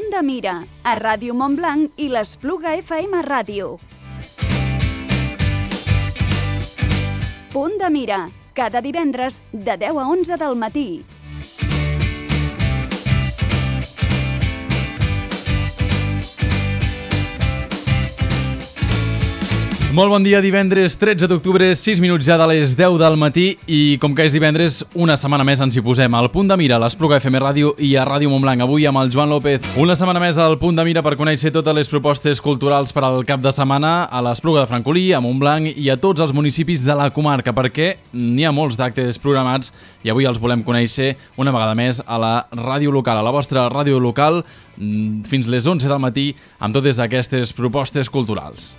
Punt de Mira, a Ràdio Montblanc i l'Espluga FM Ràdio. Punt de Mira, cada divendres de 10 a 11 del matí. Molt bon dia, divendres 13 d'octubre, 6 minuts ja de les 10 del matí i com que és divendres, una setmana més ens hi posem al Punt de Mira, a l'Espluga FM Ràdio i a Ràdio Montblanc. Avui amb el Joan López. Una setmana més al Punt de Mira per conèixer totes les propostes culturals per al cap de setmana a l'Espluga de Francolí, a Montblanc i a tots els municipis de la comarca, perquè n'hi ha molts d'actes programats i avui els volem conèixer una vegada més a la ràdio local, a la vostra ràdio local, fins les 11 del matí amb totes aquestes propostes culturals.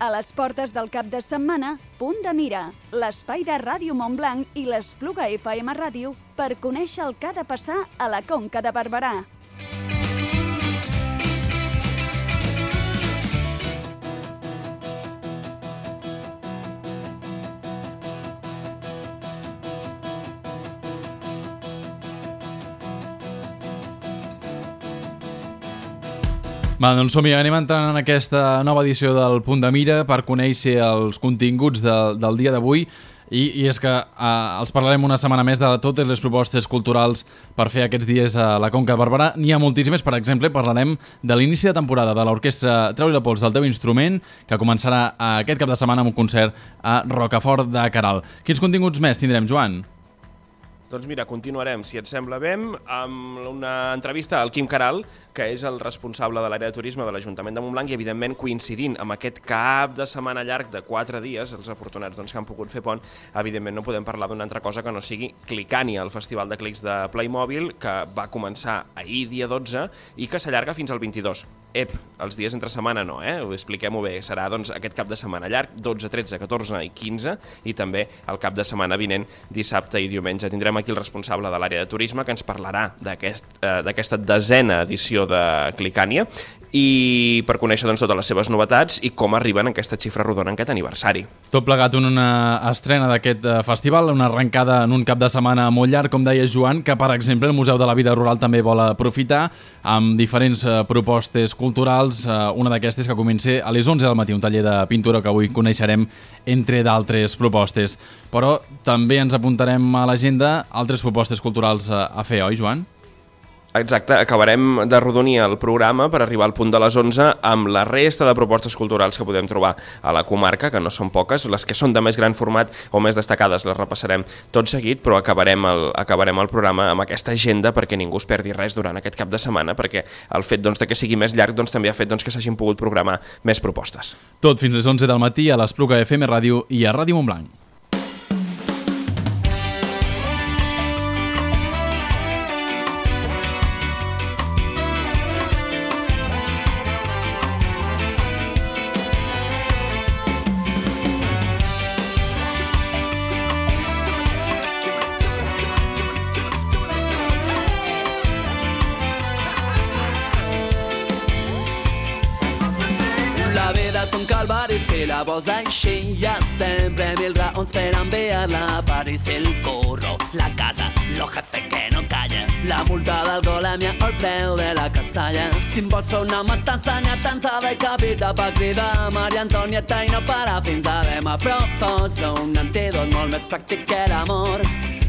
A les portes del cap de setmana, Punt de Mira, l'espai de Ràdio Montblanc i l'Espluga FM Ràdio per conèixer el que ha de passar a la Conca de Barberà. Va, doncs som-hi, anem entrant en aquesta nova edició del Punt de Mira per conèixer els continguts del dia d'avui i és que els parlarem una setmana més de totes les propostes culturals per fer aquests dies a la Conca de Barberà. N'hi ha moltíssimes, per exemple, parlarem de l'inici de temporada de l'orquestra Treu-li la pols del teu instrument, que començarà aquest cap de setmana amb un concert a Rocafort de Queralt. Quins continguts més tindrem, Joan? Doncs mira, continuarem, si et sembla bé, amb una entrevista al Quim Queralt, que és el responsable de l'àrea de turisme de l'Ajuntament de Montblanc i, evidentment, coincidint amb aquest cap de setmana llarg de 4 dies, els afortunats que han pogut fer pont, evidentment no podem parlar d'una altra cosa que no sigui Clicània, el festival de clics de Playmobil, que va començar ahir, dia 12, i que s'allarga fins al 22. Els dies entre setmana no, expliquem-ho bé, serà doncs aquest cap de setmana llarg, 12, 13, 14 i 15, i també el cap de setmana vinent, dissabte i diumenge. Tindrem aquí el responsable de l'àrea de turisme que ens parlarà d'aquesta desena edició de Clicània i per conèixer doncs, totes les seves novetats i com arriben a aquesta xifra rodona en aquest aniversari. Tot plegat en una estrena d'aquest festival, una arrencada en un cap de setmana molt llarg, com deia Joan, que per exemple el Museu de la Vida Rural també vol aprofitar amb diferents propostes culturals. Una d'aquestes que comença a les 11 del matí, un taller de pintura que avui coneixerem entre d'altres propostes. Però també ens apuntarem a l'agenda altres propostes culturals a fer, oi, Joan? Exacte, acabarem d'arrodonir el programa per arribar al punt de les 11 amb la resta de propostes culturals que podem trobar a la comarca, que no són poques, les que són de més gran format o més destacades les repassarem tot seguit, però acabarem el programa amb aquesta agenda perquè ningú es perdi res durant aquest cap de setmana, perquè el fet de que sigui més llarg també ha fet que s'hagin pogut programar més propostes. Tot fins les 11 del matí a l'Espluga FM Ràdio i a Ràdio Montblanc. Si la vols així, hi ha sempre 1000 raons per enviar-la a París. El curro, la casa, lo jefe que no calla, la multa d'alcoholèmia o el preu de la casalla. Si em vols fer una matança, n'hi ha tants de capita per cridar Maria Antonieta i no parar fins a demà. Proposo un antídot molt més pràctic que l'amor.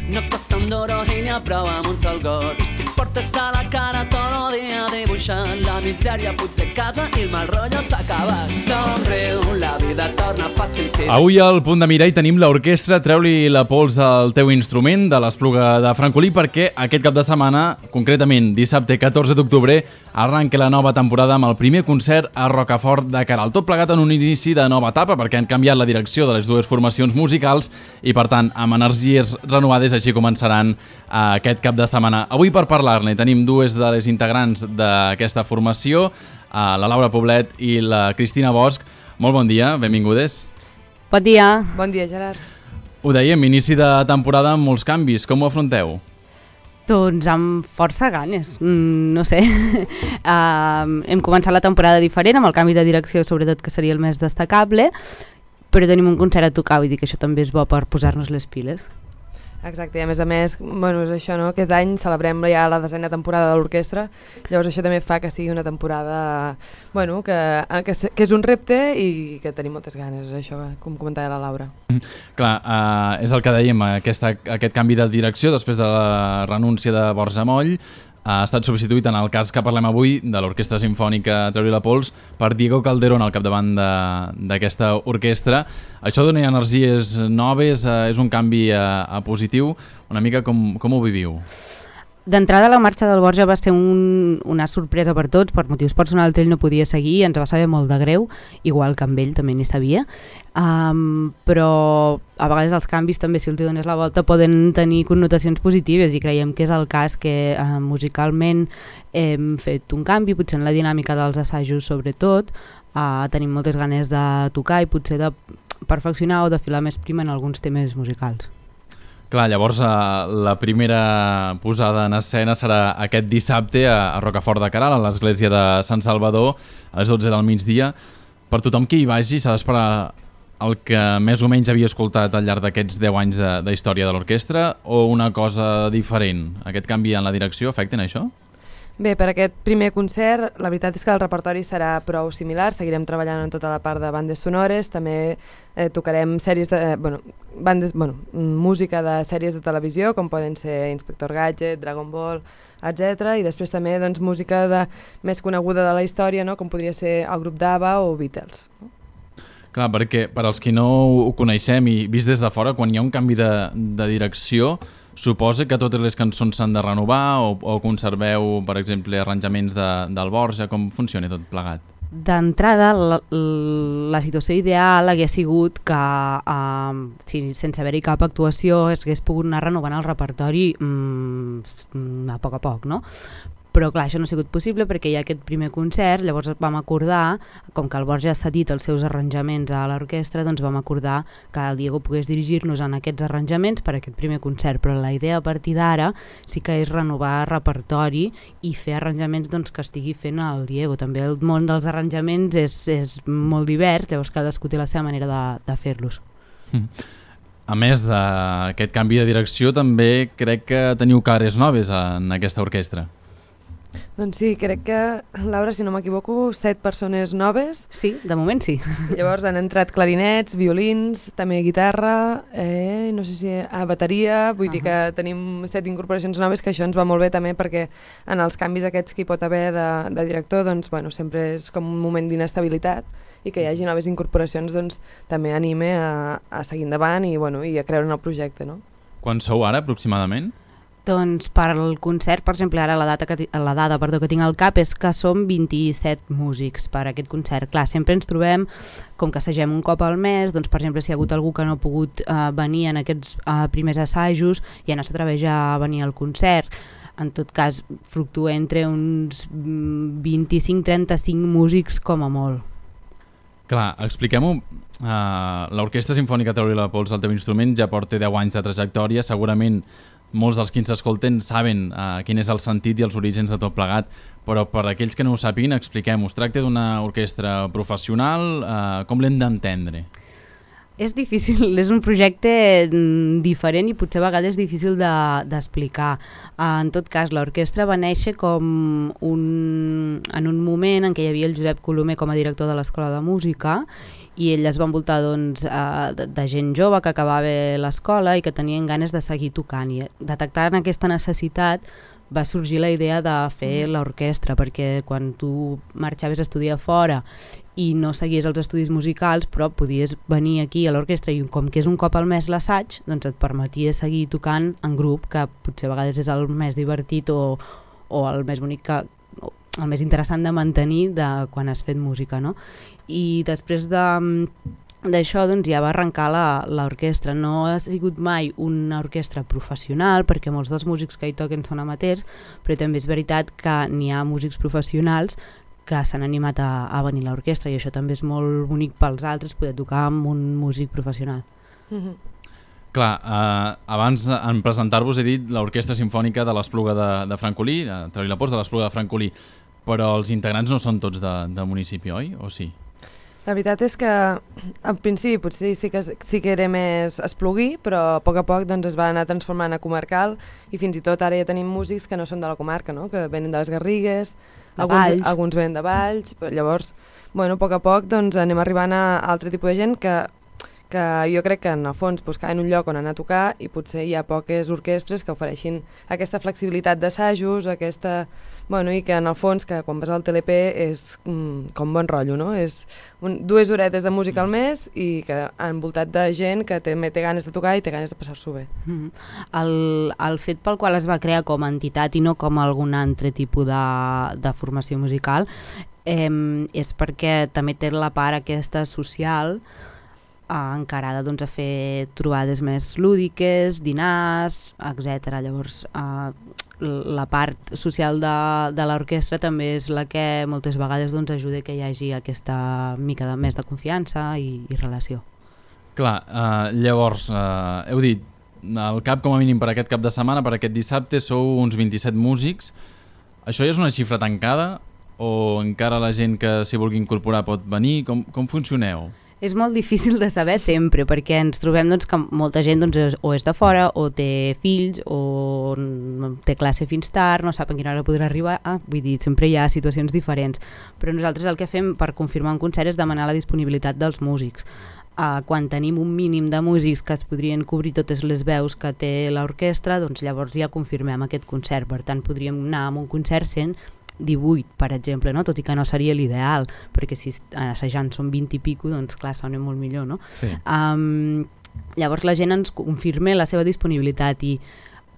No costa un duro i n'hi ha prou amb un sol got. I si portes a la cara tot el dia dibuixant, la misèria fuig de casa i el mal rotllo s'acaba. Somriu, la vida torna fàcil. Avui al Punt de Mira hi tenim l'orquestra Treu-li la pols al teu instrument de l'Espluga de Francolí, perquè aquest cap de setmana, concretament dissabte 14 d'octubre, arranca la nova temporada amb el primer concert a Rocafort de Queralt. Tot plegat en un inici de nova etapa, perquè han canviat la direcció de les dues formacions musicals i, per tant, amb energies renovades, així començaran aquest cap de setmana. Avui per parlar-ne tenim dues de les integrants d'aquesta formació, la Laura Poblet i la Cristina Bosch. Molt bon dia, benvingudes. Bon dia. Bon dia, Gerard. Ho dèiem, inici de temporada amb molts canvis, com ho afronteu? Doncs amb força ganes, no sé. Hem començat la temporada diferent, amb el canvi de direcció sobretot, que seria el més destacable, però tenim un concert a tocar, vull dir que això també és bo per posar-nos les piles. Exacte, i a més, bueno, és això, no? Aquest any celebrem ja la 10a temporada de l'orquestra, llavors això també fa que sigui una temporada, bueno, que és un repte i que tenim moltes ganes, això, com comentava la Laura. Clar, és el que dèiem, aquest canvi de direcció després de la renúncia de Borja Moll ha estat substituït, en el cas que parlem avui, de l'Orquestra Simfònica Treure la Pols, per Diego Calderón al capdavant d'aquesta orquestra. Això dona energies noves, és un canvi a positiu. Una mica com ho viviu? D'entrada, la marxa del Borja va ser una sorpresa per tots, per motius personals ell no podia seguir, ens va saber molt de greu, igual que amb ell també n'hi sabia, però a vegades els canvis també, si els dones la volta, poden tenir connotacions positives i creiem que és el cas que musicalment hem fet un canvi, potser en la dinàmica dels assajos sobretot, tenim moltes ganes de tocar i potser de perfeccionar o de filar més prima en alguns temes musicals. Clar, llavors la primera posada en escena serà aquest dissabte a Rocafort de Queralt, a l'església de Sant Salvador, a les 12 del migdia. Per tothom que hi vagi s'ha d'esperar el que més o menys havia escoltat al llarg d'aquests 10 anys de història de l'orquestra o una cosa diferent? Aquest canvi en la direcció afecta en això? Bé, per aquest primer concert, la veritat és que el repertori serà prou similar, seguirem treballant en tota la part de bandes sonores, també tocarem sèries de, música de sèries de televisió, com poden ser Inspector Gadget, Dragon Ball, etc. I després també música més coneguda de la història, no? Com podria ser el grup d'ABBA o Beatles. Clar, perquè per als qui no ho coneixem i vist des de fora, quan hi ha un canvi de direcció, suposa que totes les cançons s'han de renovar o conserveu, per exemple, arranjaments del Borja? Com funciona tot plegat? D'entrada, la situació ideal hagués sigut que, sense haver-hi cap actuació, es hagués pogut anar renovant el repertori a poc, no? Però clar, això no ha sigut possible perquè hi ha aquest primer concert, llavors vam acordar, com que el Borja ha cedit els seus arranjaments a l'orquestra, doncs vam acordar que el Diego pogués dirigir-nos en aquests arranjaments per a aquest primer concert, però la idea a partir d'ara sí que és renovar repertori i fer arranjaments que estigui fent el Diego. També el món dels arranjaments és molt divers, llavors cadascú té la seva manera de fer-los. A més d'aquest canvi de direcció, també crec que teniu cares noves en aquesta orquestra. Doncs sí, crec que, Laura, si no m'equivoco, 7 persones noves. Sí, de moment sí. Llavors han entrat clarinets, violins, també guitarra, no sé si bateria, vull dir que tenim 7 incorporacions noves, que això ens va molt bé també perquè en els canvis aquests que hi pot haver de director, doncs, bueno, sempre és com un moment d'inestabilitat i que hi hagi noves incorporacions doncs, també anime a seguir endavant i a creure en el projecte. No? Quan sou ara, aproximadament? Doncs per al concert, per exemple, ara la dada que tinc al cap és que som 27 músics per a aquest concert. Clar, sempre ens trobem, com que assagem un cop al mes, doncs per exemple si hi ha hagut algú que no ha pogut venir en aquests primers assajos, ja no s'atreveix a venir al concert. En tot cas, fluctua entre uns 25-35 músics com a molt. Clar, expliquem-ho. L'Orquestra Simfònica Treure la Pols, el teu instrument, ja porta 10 anys de trajectòria, segurament molts dels que ens escolten saben quin és el sentit i els orígens de tot plegat, però per aquells que no ho sàpiguen, expliquem-ho. Es tracta d'una orquestra professional, com l'hem d'entendre? És difícil, és un projecte diferent i potser a vegades difícil d'explicar. En tot cas, l'orquestra va néixer en un moment en què hi havia el Josep Colomer com a director de l'Escola de Música i ell es va envoltar de gent jove que acabava l'escola i que tenien ganes de seguir tocant. I detectant aquesta necessitat va sorgir la idea de fer l'orquestra, perquè quan tu marxaves a estudiar fora i no seguies els estudis musicals, però podies venir aquí a l'orquestra i com que és un cop al mes l'assaig, doncs et permetia seguir tocant en grup, que potser a vegades és el més divertit o el més bonic, el més interessant de mantenir quan has fet música, no? I després d'això doncs, ja va arrencar l'orquestra. No ha sigut mai una orquestra professional perquè molts dels músics que hi toquen són amateurs, però també és veritat que n'hi ha músics professionals que s'han animat a venir a l'orquestra i això també és molt bonic pels altres, poder tocar amb un músic professional. Clar, abans en presentar-vos he dit l'Orquestra Simfònica de l'Espluga de Francolí, Treu-li la pols de l'Espluga de Francolí, però els integrants no són tots del municipi, oi? O sí? La veritat és que al principi potser sí que era més esplugui, però a poc doncs, es va anar transformant a comarcal i fins i tot ara ja tenim músics que no són de la comarca, no? Que venen de les Garrigues, alguns venen de Valls, però llavors, bueno, a poc doncs, anem arribant a altre tipus de gent que jo crec que en el fons buscaven un lloc on anar a tocar i potser hi ha poques orquestres que ofereixin aquesta flexibilitat d'assajos, bueno, i que en el fons que quan vas al TLP és com bon rotllo, no? És 2 horetes de música al mes i que envoltat de gent que també té ganes de tocar i té ganes de passar-s'ho bé. El fet pel qual es va crear com a entitat i no com algun altre tipus de formació musical és perquè també té la part aquesta social encarada doncs, a fer trobades més lúdiques, dinars, etc. Llavors, la part social de l'orquestra també és la que moltes vegades doncs, ajuda que hi hagi aquesta mica més de confiança i relació. Clar, llavors, heu dit, el CAP com a mínim per aquest cap de setmana, per aquest dissabte, sou uns 27 músics. Això ja és una xifra tancada o encara la gent que s'hi vulgui incorporar pot venir? Com funcioneu? És molt difícil de saber sempre, perquè ens trobem doncs, que molta gent doncs, o és de fora, o té fills, o té classe fins tard, no sap a quina hora podrà arribar. Vull dir, sempre hi ha situacions diferents. Però nosaltres el que fem per confirmar un concert és demanar la disponibilitat dels músics. Quan tenim un mínim de músics que es podrien cobrir totes les veus que té l'orquestra, doncs llavors ja confirmem aquest concert. Per tant, podríem anar a un concert sent 18, per exemple, no? Tot i que no seria l'ideal, perquè si assajant són 20 i pico, doncs clar, sona molt millor, no? Sí. Llavors la gent ens confirma la seva disponibilitat i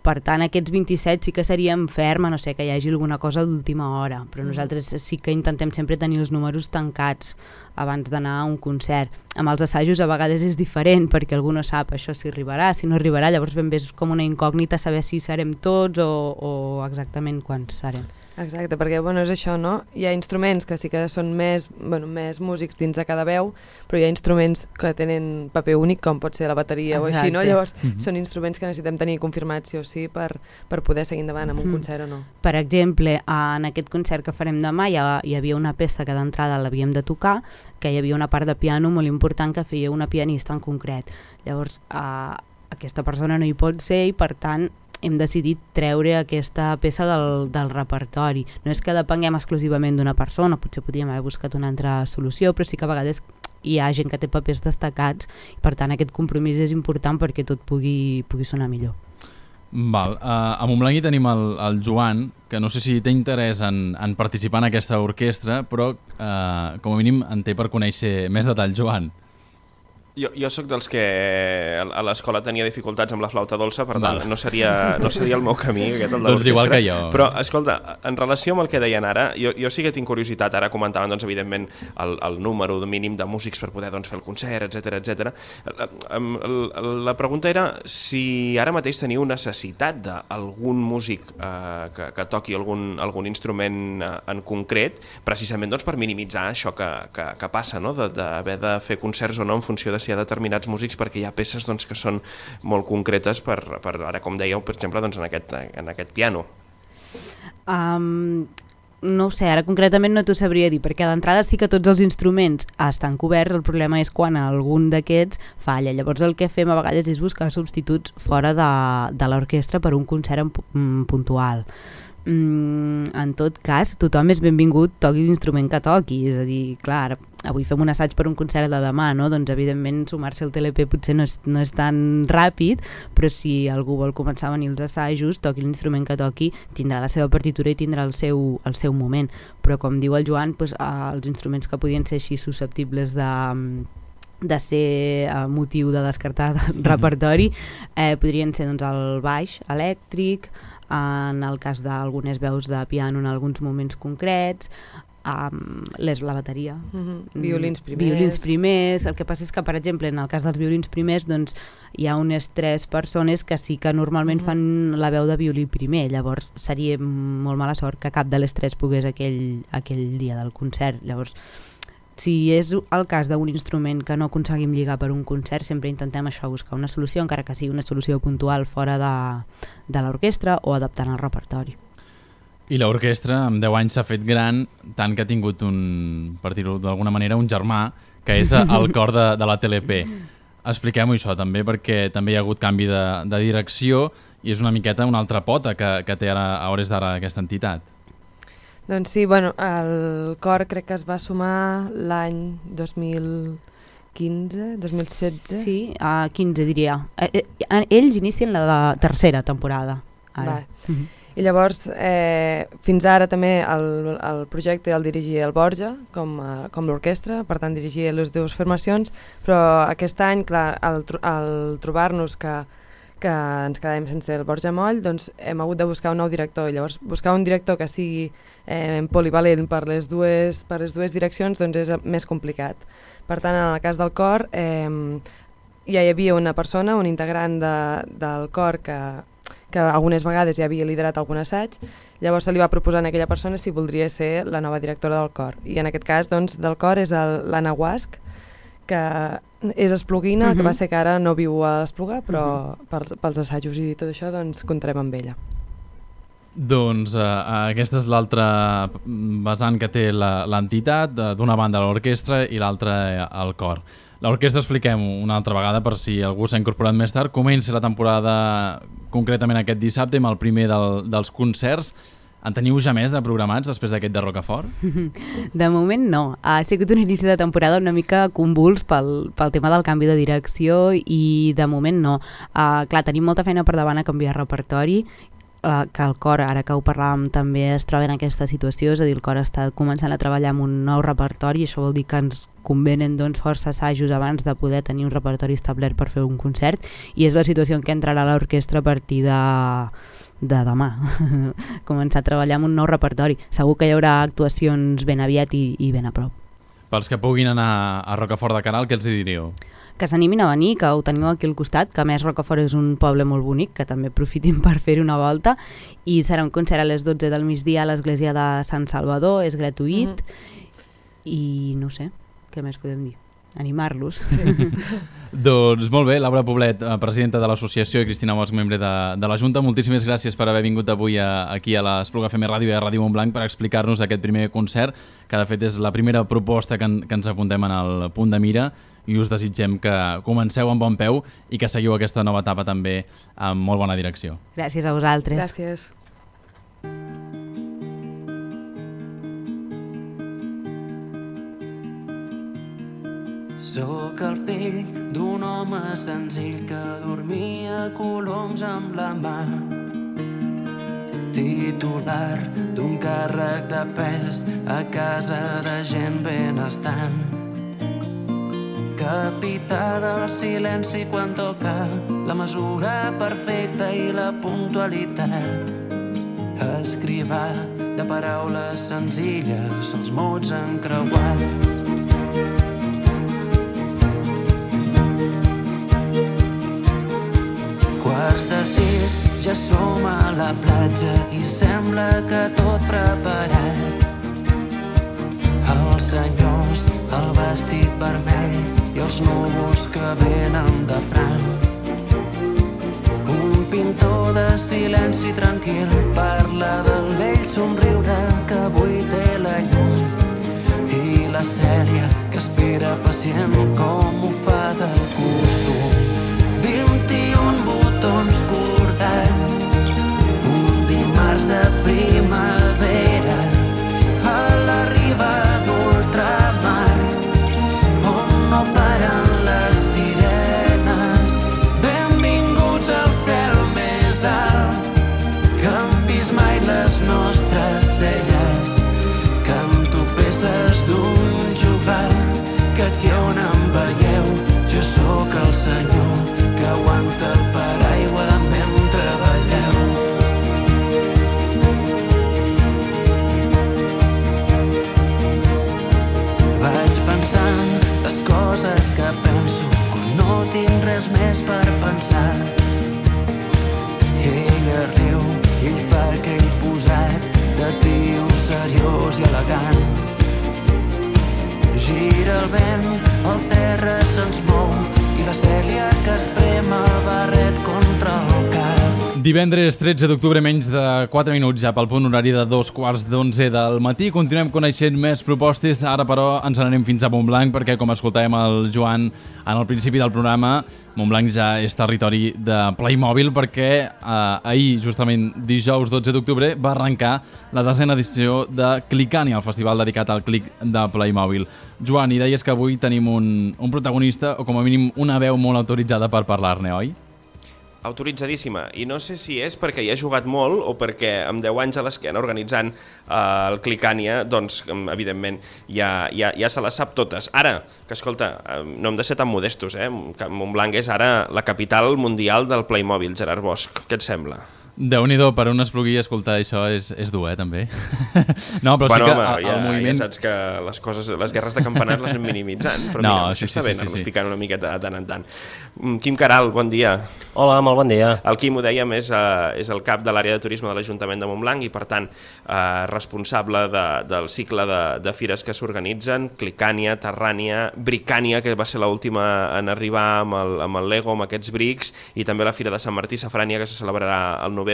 per tant aquests 27 sí que seríem ferm, a no ser que hi hagi alguna cosa d'última hora, però nosaltres sí que intentem sempre tenir els números tancats abans d'anar a un concert. Amb els assajos a vegades és diferent perquè algú no sap això si arribarà, si no arribarà, llavors ben bé és com una incògnita saber si serem tots o exactament quants serem. Exacte, perquè bueno, és això, no? Hi ha instruments que sí que són més músics dins de cada veu, però hi ha instruments que tenen paper únic, com pot ser la bateria o així, no? Llavors són instruments que necessitem tenir confirmats sí o sí per poder seguir endavant amb un concert o no. Per exemple, en aquest concert que farem demà hi havia una peça que d'entrada l'havíem de tocar, que hi havia una part de piano molt important que feia una pianista en concret. Llavors, aquesta persona no hi pot ser i per tant hem decidit treure aquesta peça del repertori. No és que depenguem exclusivament d'una persona, potser podríem haver buscat una altra solució, però sí que a vegades hi ha gent que té papers destacats i per tant aquest compromís és important perquè tot pugui sonar millor. Val. A Montblanc hi tenim el Joan, que no sé si té interès en participar en aquesta orquestra, però com a mínim en té per conèixer més detall. Joan. Jo sóc dels que a l'escola tenia dificultats amb la flauta dolça, per tant no seria el meu camí aquest, el de l'orquestra. Doncs igual que jo. Però, escolta, en relació amb el que deien ara, jo sí que tinc curiositat, ara comentaven, doncs, evidentment, el número mínim de músics per poder fer el concert, etc. La pregunta era si ara mateix teniu necessitat d'algun músic que toqui algun instrument en concret, precisament per minimitzar això que passa, no? D'haver de fer concerts o no en funció de si hi ha determinats músics, perquè hi ha peces que són molt concretes per ara, com dèieu, per exemple, en aquest piano. No ho sé, ara concretament no t'ho sabria dir, perquè a l'entrada sí que tots els instruments estan coberts, el problema és quan algun d'aquests falla. Llavors el que fem a vegades és buscar substituts fora de l'orquestra per un concert puntual. En tot cas, tothom és benvingut, toqui l'instrument que toqui, és a dir, clar, avui fem un assaig per un concert de demà, no? Doncs evidentment sumar-se al TLP potser no és tan ràpid, però si algú vol començar a venir als assajos, toqui l'instrument que toqui, tindrà la seva partitura i tindrà el seu moment, però com diu el Joan, doncs, els instruments que podien ser així susceptibles de ser motiu de descartar del repertori podrien ser doncs, el baix elèctric, en el cas d'algunes veus de piano en alguns moments concrets, la bateria, violins primers. El que passa és que, per exemple, en el cas dels violins primers, doncs, hi ha unes 3 persones que sí que normalment fan la veu de violí primer, llavors seria molt mala sort que cap de les 3 pogués aquell dia del concert. Llavors Si és el cas d'un instrument que no aconseguim lligar per un concert, sempre intentem això, buscar una solució, encara que sigui una solució puntual fora de l'orquestra o adaptant el repertori. I l'orquestra amb 10 anys s'ha fet gran, tant que ha tingut per dir-ho d'alguna manera, un germà, que és el cor de la TLP. Expliquem-ho això també, perquè també hi ha hagut canvi de direcció i és una miqueta una altra pota que té ara, a hores d'ara, aquesta entitat. Doncs sí, bueno, el cor crec que es va sumar l'any 2015, 2016... Sí, a 15 diria. Ells inicien la tercera temporada. Ara. I llavors, fins ara també el projecte el dirigia el Borja, com l'orquestra, per tant dirigia les dues formacions, però aquest any, clar, al trobar-nos que ens quedàvem sense el Borja Moll, doncs hem hagut de buscar un nou director. Llavors, buscar un director que sigui polivalent per les dues direccions doncs és més complicat. Per tant, en el cas del cor, ja hi havia una persona, un integrant del cor que algunes vegades ja havia liderat algun assaig, llavors se li va proposar a aquella persona si voldria ser la nova directora del cor. I en aquest cas, doncs, del cor és l'Anna Guasc, que és espluguina, que va ser que ara no viu a l'Espluga, però pels assajos i tot això doncs comptarem amb ella. Doncs aquesta és l'altra vessant que té l'entitat, d'una banda l'orquestra i l'altra el cor. L'orquestra, expliquem-ho una altra vegada per si algú s'ha incorporat més tard, comença la temporada concretament aquest dissabte amb el primer dels concerts. En teniu ja més de programats després d'aquest de Rocafort? De moment no. Ha sigut un inici de temporada una mica convuls pel tema del canvi de direcció i de moment no. Clar, tenim molta feina per davant a canviar repertori, que el cor, ara que ho parlàvem, també es troba en aquesta situació, és a dir, el cor està començant a treballar amb un nou repertori i això vol dir que ens convenen doncs, força assajos abans de poder tenir un repertori establert per fer un concert i és la situació en què entrarà l'orquestra a partir de demà. Començar a treballar amb un nou repertori. Segur que hi haurà actuacions ben aviat i ben a prop. Pels que puguin anar a Rocafort de Queralt, què els diríeu? Que s'animin a venir, que ho teniu aquí al costat, que a més Rocafort és un poble molt bonic, que també aprofitin per fer una volta, i serà un concert a les 12 del migdia a l'església de Sant Salvador, és gratuït, i no sé, què més podem dir? Animar-los. Sí. Doncs molt bé, Laura Poblet, presidenta de l'associació, i Cristina Bosch, membre de la Junta, moltíssimes gràcies per haver vingut avui aquí a l'Espluga FM Ràdio i a Ràdio Montblanc per explicar-nos aquest primer concert, que de fet és la primera proposta que ens apuntem en el punt de mira, i us desitgem que comenceu amb bon peu i que seguiu aquesta nova etapa també amb molt bona direcció. Gràcies a vosaltres. Gràcies. Sóc el fill d'un home senzill que dormia coloms amb la mà, titular d'un càrrec de pes a casa de gent benestant, capità del silenci quan toca la mesura perfecta i la puntualitat, escrivà de paraules senzilles, els mots encreuats. Quarts de 6, ja som a la platja i sembla que tot preparat. Els senyors, el vestit vermell i els núvols que venen de franc. Un pintor de silenci tranquil parla del vell somriure que avui té la llum i la Cèlia que espera pacient com ho fa de costum. 21 botons cordats, un dimarts de primavera a la riba d'ultramar, on no paren les sirenes. Benvinguts al cel més alt, que han vist mai les nostres celles. Canto peces d'un joglar, que aquí on em veieu, jo sóc el Divendres 13 d'octubre, menys de 4 minuts ja pel punt horari de 2:15 del matí. Continuem coneixent més propostes, ara però ens n'anem fins a Montblanc perquè, com escoltàvem el Joan en el principi del programa, Montblanc ja és territori de Playmobil perquè ahir, justament dijous 12 d'octubre, va arrencar la 10a edició de Clicània, el festival dedicat al clic de Playmobil. Joan, i deies que avui tenim un protagonista, o com a mínim una veu molt autoritzada per parlar-ne, oi? Autoritzadíssima, i no sé si és perquè hi ha jugat molt o perquè amb 10 anys a l'esquena organitzant el Clicània, doncs evidentment ja se les sap totes. Ara, que escolta, no hem de ser tan modestos, que Montblanc és ara la capital mundial del Playmobil. Gerard Bosch, què et sembla? Déu-n'hi-do, per un esplugui escoltar això és dur, també. No, però bueno, sí que home, el moviment... Ja saps que les guerres de campanat les anem minimitzant, però no, mira, això està bé, anar-nos picant una miqueta de tant en tant. Quim Caral, bon dia. Hola, molt bon dia. El Quim, ho dèiem, és el cap de l'àrea de turisme de l'Ajuntament de Montblanc i, per tant, responsable del cicle de fires que s'organitzen, Clicània, Terrània, Bricània, que va ser l'última en arribar amb el Lego, amb aquests brics, i també la Fira de Sant Martí Safrània, que se celebrarà al novembre.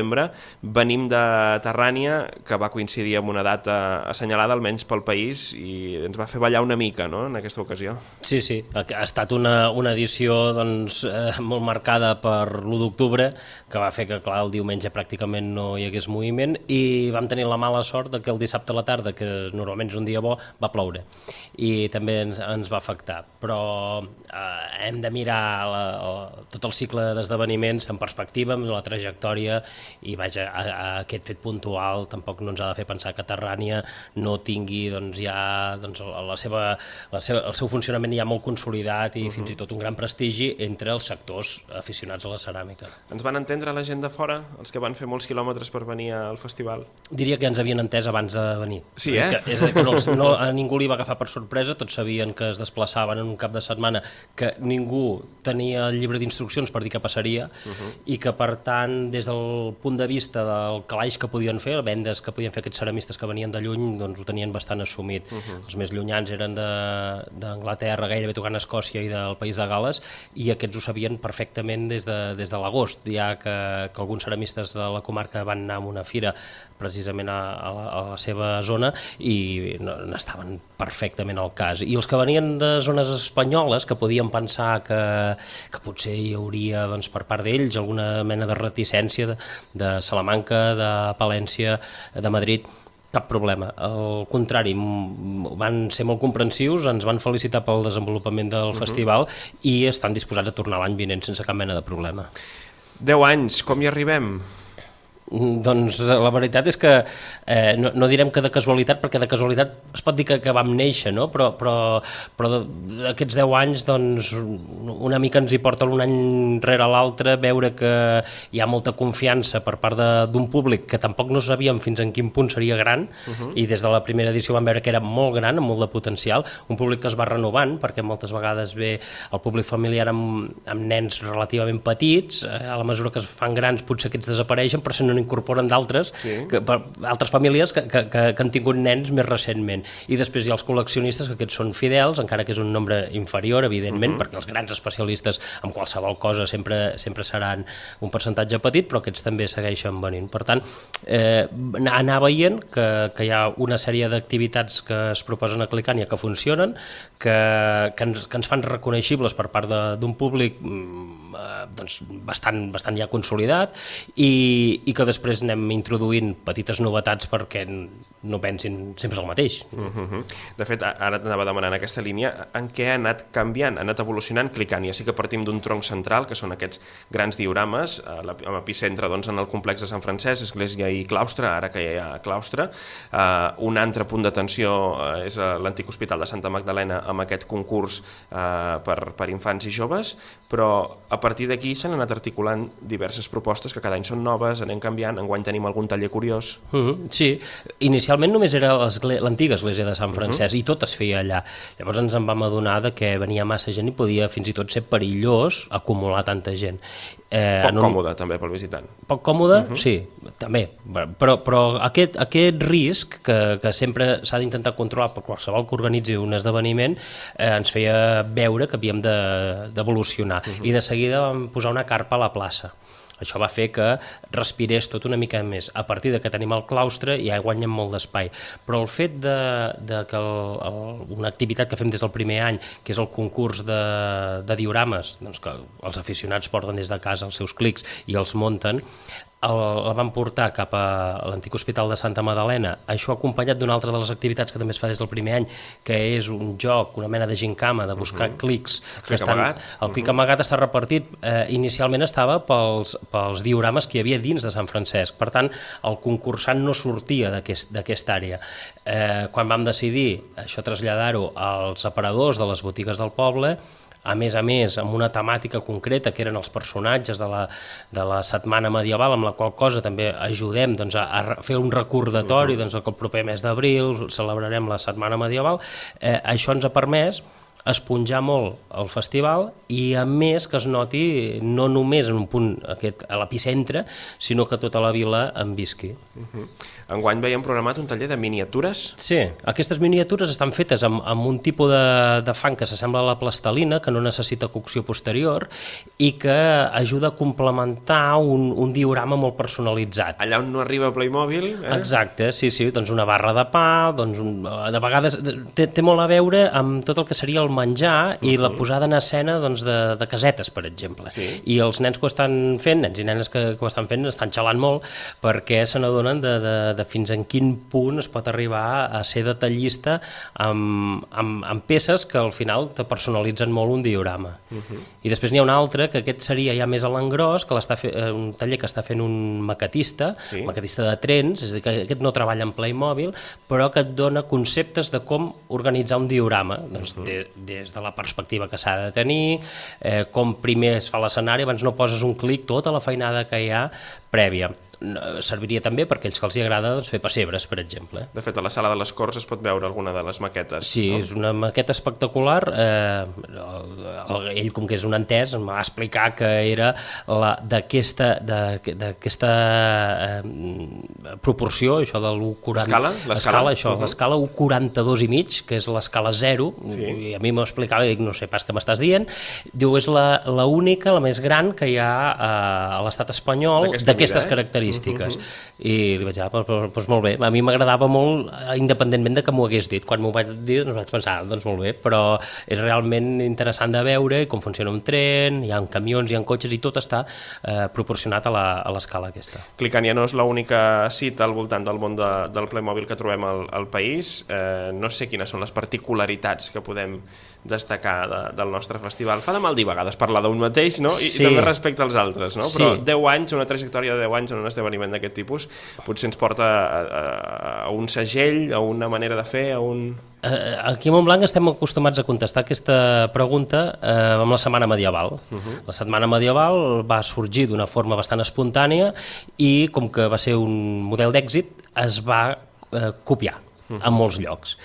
Venim de Terrània, que va coincidir amb una data assenyalada, almenys pel país, i ens va fer ballar una mica, no?, en aquesta ocasió. Sí, ha estat una edició doncs, molt marcada per l'1 d'octubre, que va fer que, clar, el diumenge pràcticament no hi hagués moviment, i vam tenir la mala sort que el dissabte a la tarda, que normalment és un dia bo, va ploure, i també ens va afectar. Però hem de mirar tot el cicle d'esdeveniments en perspectiva, amb la trajectòria, i vaja, aquest fet puntual tampoc no ens ha de fer pensar que Terrània no tingui ja el seu funcionament ja molt consolidat i fins i tot un gran prestigi entre els sectors aficionats a la ceràmica. Ens van entendre la gent de fora, els que van fer molts quilòmetres per venir al festival? Diria que ens havien entès abans de venir. Sí, A ningú li va agafar per sorpresa, tots sabien que es desplaçaven en un cap de setmana, que ningú tenia el llibre d'instruccions per dir què passaria, i que, per tant, des del punt de vista del calaix que podien fer, les vendes que podien fer aquests ceramistes que venien de lluny, doncs ho tenien bastant assumit. Els més llunyans eren d'Anglaterra, gairebé tocant a Escòcia i del País de Gales, i aquests ho sabien perfectament des de l'agost, ja que alguns ceramistes de la comarca van anar a una fira precisament a la seva zona i n'estaven perfectament al cas. I els que venien de zones espanyoles, que podien pensar que potser hi hauria, doncs, per part d'ells alguna mena de reticència de Salamanca, de Palència, de Madrid, cap problema. Al contrari, van ser molt comprensius, ens van felicitar pel desenvolupament del festival i estan disposats a tornar l'any vinent sense cap mena de problema. 10 anys, com hi arribem? Doncs la veritat és que no direm que de casualitat, perquè de casualitat es pot dir que vam néixer, no? Però d'aquests 10 anys doncs, una mica ens hi porta un any rere l'altre veure que hi ha molta confiança per part d'un públic que tampoc no sabíem fins en quin punt seria gran, i des de la primera edició vam veure que era molt gran, amb molt de potencial, un públic que es va renovant, perquè moltes vegades ve el públic familiar amb nens relativament petits, a la mesura que es fan grans potser aquests desapareixen, però se n'incorporen d'altres, altres famílies que han tingut nens més recentment. I després hi ha els col·leccionistes, que aquests són fidels, encara que és un nombre inferior, evidentment, perquè els grans especialistes en qualsevol cosa sempre seran un percentatge petit, però aquests també segueixen venint. Per tant, anar veient que hi ha una sèrie d'activitats que es proposen a Clicània que funcionen, que ens fan reconeixibles per part d'un públic doncs, bastant ja consolidat, i que després anem introduint petites novetats perquè no pensin sempre el mateix. De fet, ara t'anava demanant aquesta línia, en què ha anat canviant, ha anat evolucionant Clicània? Sí que partim d'un tronc central, que són aquests grans diorames, amb epicentre doncs, en el complex de Sant Francesc, església i claustre, ara que ja hi ha claustre. Un altre punt d'atenció és l'antic hospital de Santa Magdalena, amb aquest concurs per infants i joves, però a partir d'aquí s'han anat articulant diverses propostes que cada any són noves, anem canviant, enguany tenim algun taller curiós. Sí, inicialment només era l'antiga església de Sant Francesc i tot es feia allà. Llavors ens en vam adonar que venia massa gent i podia fins i tot ser perillós acumular tanta gent. Poc còmode també pel visitant. Poc còmode, sí, també, però aquest risc que sempre s'ha d'intentar controlar per qualsevol que organitzi un esdeveniment ens feia veure que havíem d'evolucionar i de seguida vam posar una carpa a la plaça. Això va fer que respirés tot una mica més. A partir de que tenim el claustre ja guanyem molt d'espai. Però el fet de que una activitat que fem des del primer any, que és el concurs de diorames, doncs que els aficionats porten des de casa els seus clics i els munten, la van portar cap a l'antic hospital de Santa Madalena, això acompanyat d'una altra de les activitats que també es fa des del primer any, que és un joc, una mena de gincama, de buscar clics. El clic amagat està repartit, inicialment estava pels diorames que hi havia dins de Sant Francesc, per tant el concursant no sortia d'aquesta àrea. Quan vam decidir això traslladar-ho als aparadors de les botigues del poble, a més, amb una temàtica concreta, que eren els personatges de la setmana medieval, amb la qual cosa també ajudem a fer un recordatori que el proper mes d'abril celebrarem la setmana medieval. Això ens ha permès esponjar molt el festival i, a més, que es noti no només en un punt a l'epicentre, sinó que tota la vila en visqui. Enguany veiem programat un taller de miniatures. Sí, aquestes miniatures estan fetes amb un tipus de fang que s'assembla a la plastelina, que no necessita cocció posterior i que ajuda a complementar un diorama molt personalitzat. Allà on no arriba Playmobil. Exacte, sí, doncs una barra de pa, de vegades té molt a veure amb tot el que seria el menjar i la posada en escena de casetes, per exemple. I els nens que ho estan fent, nens i nenes que ho estan fent, estan xalant molt perquè se n'adonen de fins en quin punt es pot arribar a ser detallista amb peces que al final te personalitzen molt un diorama. I després n'hi ha un altre, que aquest seria ja més a l'engròs, un taller que està fent un maquetista de trens, és a dir, que aquest no treballa en Playmobil, però que et dona conceptes de com organitzar un diorama, des de la perspectiva que s'ha de tenir, com primer es fa l'escenari, abans no poses un clic, tota la feinada que hi ha prèvia. Serviria també per aquells que els agrada fer pessebres, per exemple. De fet, a la sala de les Corts es pot veure alguna de les maquetes. Sí, és una maqueta espectacular. Ell, com que és un entès, em va explicar que era d'aquesta proporció, això de l'1,40... L'escala 1,42 i mig, que és l'escala 0, i a mi m'explicava, i dic, no sé pas què m'estàs dient, diu, és l'única, la més gran que hi ha a l'estat espanyol d'aquestes característiques. I li vaig dir, doncs molt bé, a mi m'agradava molt, independentment de que m'ho hagués dit. Quan m'ho vaig dir, vaig pensar, doncs molt bé, però és realment interessant de veure com funciona un tren, hi ha camions, hi ha cotxes, i tot està proporcionat a l'escala aquesta. Clicant ja no és l'única cita al voltant del món del Playmobil que trobem al país. No sé quines són les particularitats que podem destacar del nostre festival. Fa de mal dir a vegades parlar d'un mateix, no? I també respecte als altres, no? Però 10 anys, una trajectòria de 10 anys en un esdeveniment d'aquest tipus, potser ens porta a un segell, a una manera de fer, a un... Aquí a Montblanc estem acostumats a contestar aquesta pregunta amb la Setmana Medieval. La Setmana Medieval va sorgir d'una forma bastant espontània i, com que va ser un model d'èxit, es va copiar en molts llocs.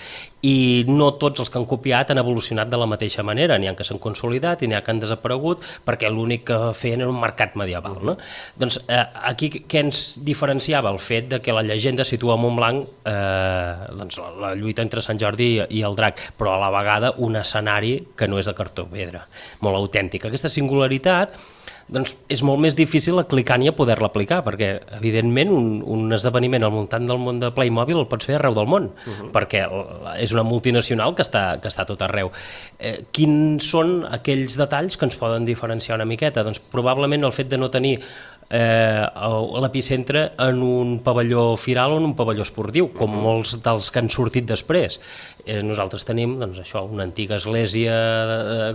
I no tots els que han copiat han evolucionat de la mateixa manera. N'hi ha que s'han consolidat i n'hi ha que han desaparegut perquè l'únic que feien era un mercat medieval. Doncs aquí què ens diferenciava? El fet de que la llegenda situa a Montblanc la lluita entre Sant Jordi i el drac, però a la vegada un escenari que no és de cartó pedra, molt autèntic. Aquesta singularitat doncs és molt més difícil a clicant i a poder-la aplicar, perquè evidentment un esdeveniment al voltant del món de Playmobil el pots fer arreu del món, perquè és una multinacional que està a tot arreu. Quins són aquells detalls que ens poden diferenciar una miqueta? Doncs probablement el fet de no tenir l'epicentre en un pavelló firal o en un pavelló esportiu, com molts dels que han sortit després. Nosaltres tenim una antiga església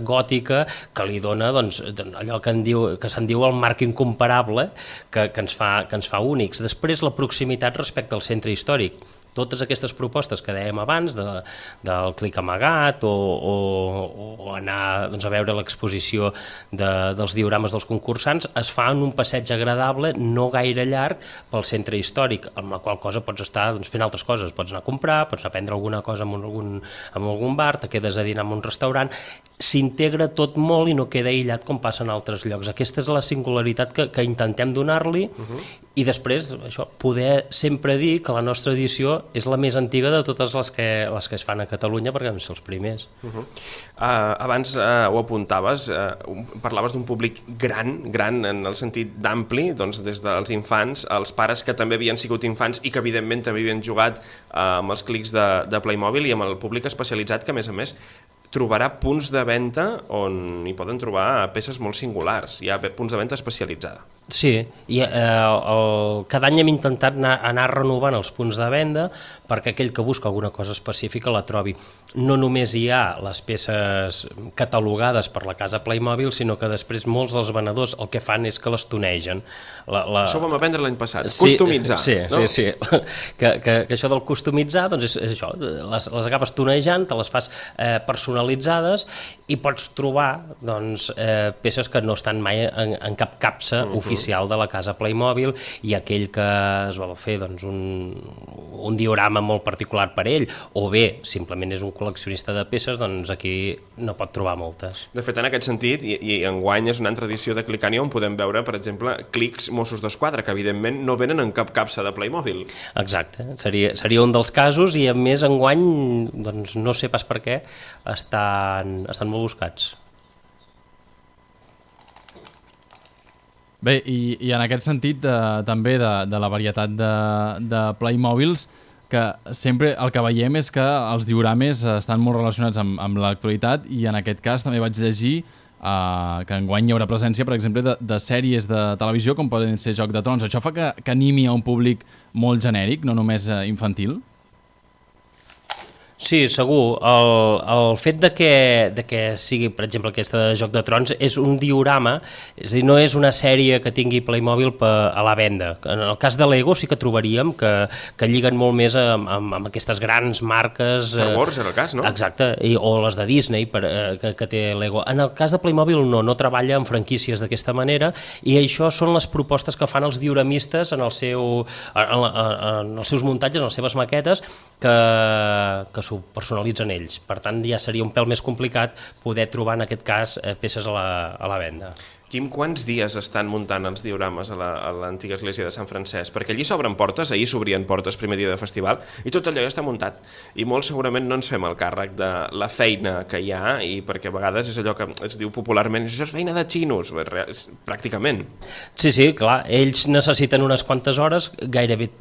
gòtica que li dona allò que se'n diu el marc incomparable que ens fa únics. Després, la proximitat respecte al centre històric. Totes aquestes propostes que dèiem abans, del clic amagat o anar a veure l'exposició dels diorames dels concursants, es fa en un passeig agradable, no gaire llarg, pel centre històric, amb la qual cosa pots estar fent altres coses. Pots anar a comprar, pots anar a prendre alguna cosa en algun bar, te quedes a dinar en un restaurant. s'integra tot molt i no queda aïllat com passa en altres llocs. Aquesta és la singularitat que intentem donar-li i després això, poder sempre dir que la nostra edició és la més antiga de totes les que es fan a Catalunya perquè vam ser els primers. Abans ho apuntaves, parlaves d'un públic gran en el sentit d'ampli, doncs des dels infants, els pares que també havien sigut infants i que evidentment també havien jugat amb els clics de Playmobil i amb el públic especialitzat que a més trobarà punts de venda on hi poden trobar peces molt singulars. Hi ha punts de venda especialitzada. Sí, i cada any hem intentat anar renovant els punts de venda perquè aquell que busca alguna cosa específica la trobi. No només hi ha les peces catalogades per la casa Playmobil, sinó que després molts dels venedors el que fan és que les tonegen. Això ho vam aprendre l'any passat, customitzar. Sí. Que això del customitzar doncs és això, les acabes tonejant, te les fas personalitzades i pots trobar doncs, peces que no estan mai en cap capsa oficial de la casa Playmobil, i aquell que es va fer doncs, un diorama molt particular per ell, o bé simplement és un col·leccionista de peces, doncs aquí no pot trobar moltes. De fet, en aquest sentit, i enguany és una altra edició de Clicania on podem veure, per exemple, clics Mossos d'Esquadra, que evidentment no venen en cap capsa de Playmobil. Exacte, seria un dels casos, i a més enguany, doncs no sé pas per què, estan molt buscats. Bé, i en aquest sentit també de la varietat de Playmobils, que sempre el que veiem és que els diorames estan molt relacionats amb l'actualitat, i en aquest cas també vaig llegir que enguany hi haurà presència, per exemple, de sèries de televisió com poden ser Joc de Trons. Això fa que animi a un públic molt genèric, no només infantil? Sí, segur. El fet de que sigui, per exemple, aquesta de Joc de Trons és un diorama, és a dir, no és una sèrie que tingui Playmobil a la venda. En el cas de Lego sí que trobaríem que lliguen molt més amb aquestes grans marques. Star Wars era el cas, no? Exacte, o les de Disney que té Lego. En el cas de Playmobil no treballa amb franquícies d'aquesta manera, i això són les propostes que fan els dioramistes en els seus muntatges, en les seves maquetes, que s'ho personalitzen ells. Per tant, ja seria un pèl més complicat poder trobar, en aquest cas, peces a la venda. Quim, quants dies estan muntant els diorames a l'antiga església de Sant Francesc? Perquè allí s'obren portes, ahir s'obrien portes primer dia de festival, i tot allò ja està muntat. I molt segurament no ens fem el càrrec de la feina que hi ha, i perquè a vegades és allò que es diu popularment, això és feina de xinos, pràcticament. Sí, clar, ells necessiten unes quantes hores, gairebé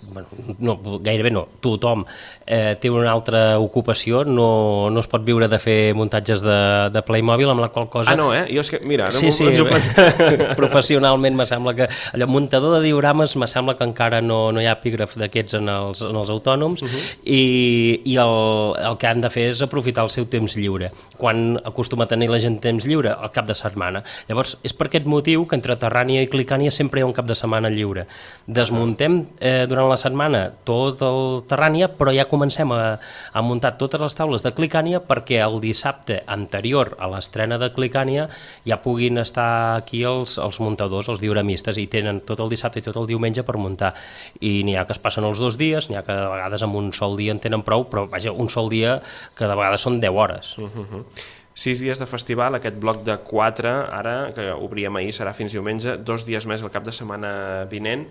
no, tothom té una altra ocupació, no es pot viure de fer muntatges de Playmobil, amb la qual cosa... Ah, no, Jo és que, mira, sí, professionalment me sembla que allò, muntador de diorames, me sembla que encara no hi ha epígraf d'aquests en els autònoms, i el que han de fer és aprofitar el seu temps lliure. Quan acostuma a tenir la gent temps lliure? Al cap de setmana. Llavors, és per aquest motiu que entre Terrània i Clicània sempre hi ha un cap de setmana lliure. Desmuntem durant la setmana tot el Terrània, però ja comencem a muntar totes les taules de Clicània perquè el dissabte anterior a l'estrena de Clicània ja puguin estar aquí els muntadors, els dioramistes, i tenen tot el dissabte i tot el diumenge per muntar. I n'hi ha que es passen els 2 dies, n'hi ha que de vegades amb un sol dia en tenen prou, però vaja, un sol dia que de vegades són 10 hores. 6 dies de festival, aquest bloc de 4, ara, que obríem ahir, serà fins diumenge, 2 dies més el cap de setmana vinent.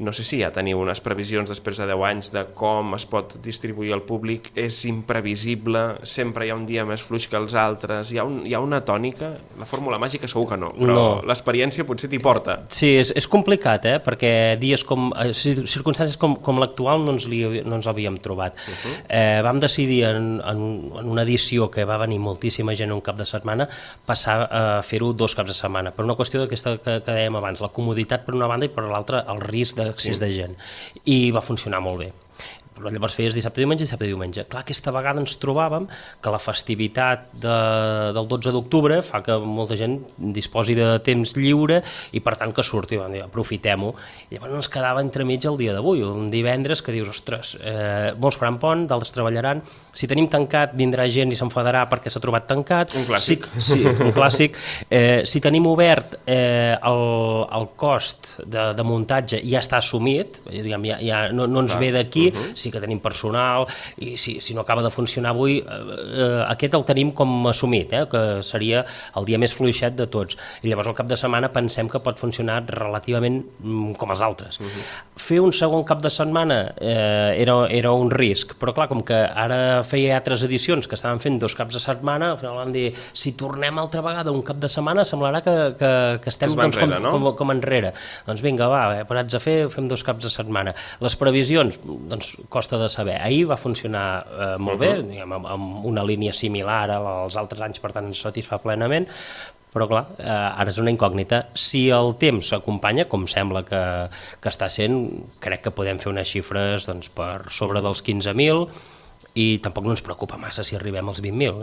No sé si ja teniu unes previsions després de 10 anys de com es pot distribuir al públic. És imprevisible, sempre hi ha un dia més fluix que els altres, hi ha una tònica, la fórmula màgica segur que no, però l'experiència potser t'hi porta. Sí, és complicat, perquè dies circumstàncies com l'actual no ens l'havíem trobat. Vam decidir en una edició que va venir moltíssima gent un cap de setmana, passar a fer-ho 2 caps de setmana, per una qüestió d'aquesta que dèiem abans, la comoditat per una banda i per l'altra el risc d'accés de gent, i va funcionar molt bé. Però llavors feies dissabte i diumenge. Clar, aquesta vegada ens trobàvem que la festivitat del 12 d'octubre fa que molta gent disposi de temps lliure i per tant que surti, aprofitem-ho. I llavors ens quedava entremig el dia d'avui, un divendres que dius, ostres, molts faran pont, d'altres treballaran, si tenim tancat vindrà gent i s'enfadarà perquè s'ha trobat tancat. Un clàssic. Sí, un clàssic. Si tenim obert, el cost de muntatge ja està assumit, no ens ve d'aquí. sí que tenim personal, i si no acaba de funcionar avui, aquest el tenim com assumit, que seria el dia més fluixet de tots. I llavors el cap de setmana pensem que pot funcionar relativament com els altres. Fer un segon cap de setmana era un risc, però clar, com que ara feia altres edicions que estaven fent 2 caps de setmana, al final vam dir, si tornem altra vegada un cap de setmana semblarà que estem com enrere. Doncs vinga, va, parats a fer, fem 2 caps de setmana. Les previsions, doncs costa de saber. Ahir va funcionar molt bé, diguem, amb una línia similar als altres anys, per tant ens satisfà plenament, però clar, ara és una incògnita. Si el temps s'acompanya, com sembla que està sent, crec que podem fer unes xifres doncs, per sobre dels 15.000, i tampoc no ens preocupa massa si arribem als 20.000.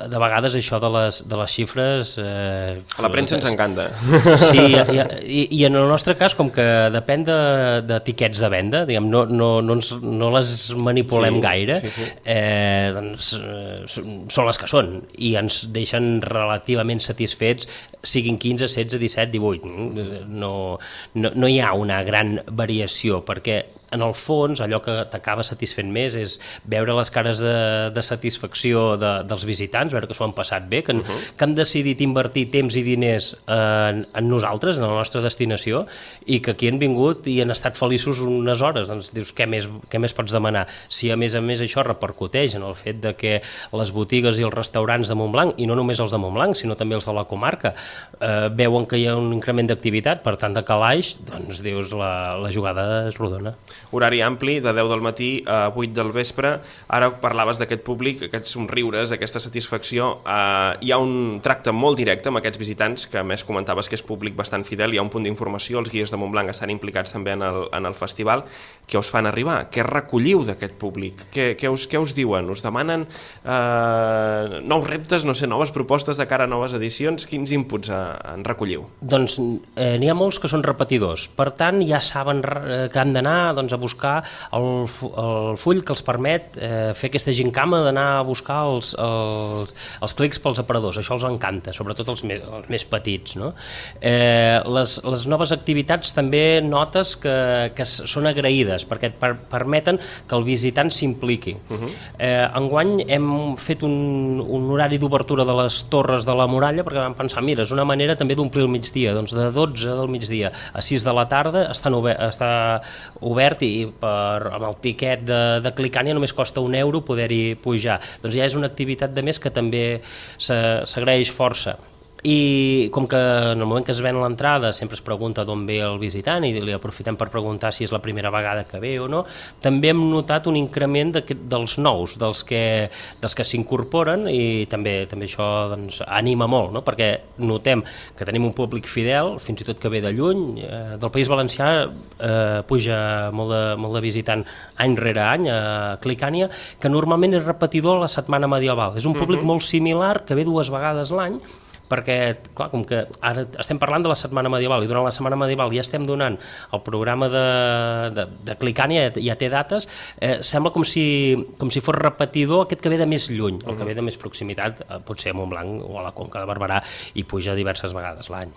De vegades això de les xifres... A la premsa ens encanta. Sí, i en el nostre cas, com que depèn d'etiquets de venda, diguem, no les manipulem gaire, doncs són les que són, i ens deixen relativament satisfets, siguin 15, 16, 17, 18. No hi ha una gran variació, perquè en el fons allò que t'acaba satisfent més és veure les cares de satisfacció dels visitants, veure que s'ho han passat bé, que han decidit invertir temps i diners en nosaltres, en la nostra destinació, i que aquí han vingut i han estat feliços unes hores. Doncs dius, què més pots demanar? Si a més això repercuteix en el fet de que les botigues i els restaurants de Montblanc, i no només els de Montblanc, sinó també els de la comarca, veuen que hi ha un increment d'activitat, per tant de calaix, doncs dius, la jugada és rodona. Horari ampli, de 10 del matí a 8 del vespre. Ara parlaves d'aquest públic, aquests somriures, aquesta satisfacció. Hi ha un tracte molt directe amb aquests visitants, que a més comentaves que és públic bastant fidel, hi ha un punt d'informació, els guies de Montblanc estan implicats també en el festival. Què us fan arribar? Què recolliu d'aquest públic? Què us diuen? Us demanen nous reptes, no sé, noves propostes de cara a noves edicions? Quins inputs en recolliu? Doncs n'hi ha molts que són repetidors, per tant ja saben que han d'anar a buscar el full que els permet fer aquesta gincama d'anar a buscar els clics pels aparadors. Això els encanta, sobretot els més petits, no? Les noves activitats també notes que són agraïdes, perquè et permeten que el visitant s'impliqui. Enguany hem fet un horari d'obertura de les torres de la muralla, perquè vam pensar, mira, és una manera també d'omplir el migdia, doncs de 12 del migdia a 6 de la tarda està obert, i amb el tiquet de Clicània només costa €1 poder-hi pujar. Doncs ja és una activitat de més que també s'agraeix força. I com que en el moment que es ven l'entrada sempre es pregunta d'on ve el visitant i li aprofitem per preguntar si és la primera vegada que ve o no, també hem notat un increment dels nous, dels que s'incorporen, i també això doncs, anima molt, no? Perquè notem que tenim un públic fidel, fins i tot que ve de lluny. Del País Valencià puja molt de visitant any rere any a Clicània, que normalment és repetidor a la Setmana Medieval. És un públic molt similar, que ve 2 vegades l'any, perquè, clar, com que ara estem parlant de la Setmana Medieval i durant la Setmana Medieval ja estem donant el programa de Clicània, ja té dates, sembla com si fos repetidor aquest que ve de més lluny, el que ve de més proximitat, potser a Montblanc o a la Conca de Barberà, i puja diverses vegades l'any.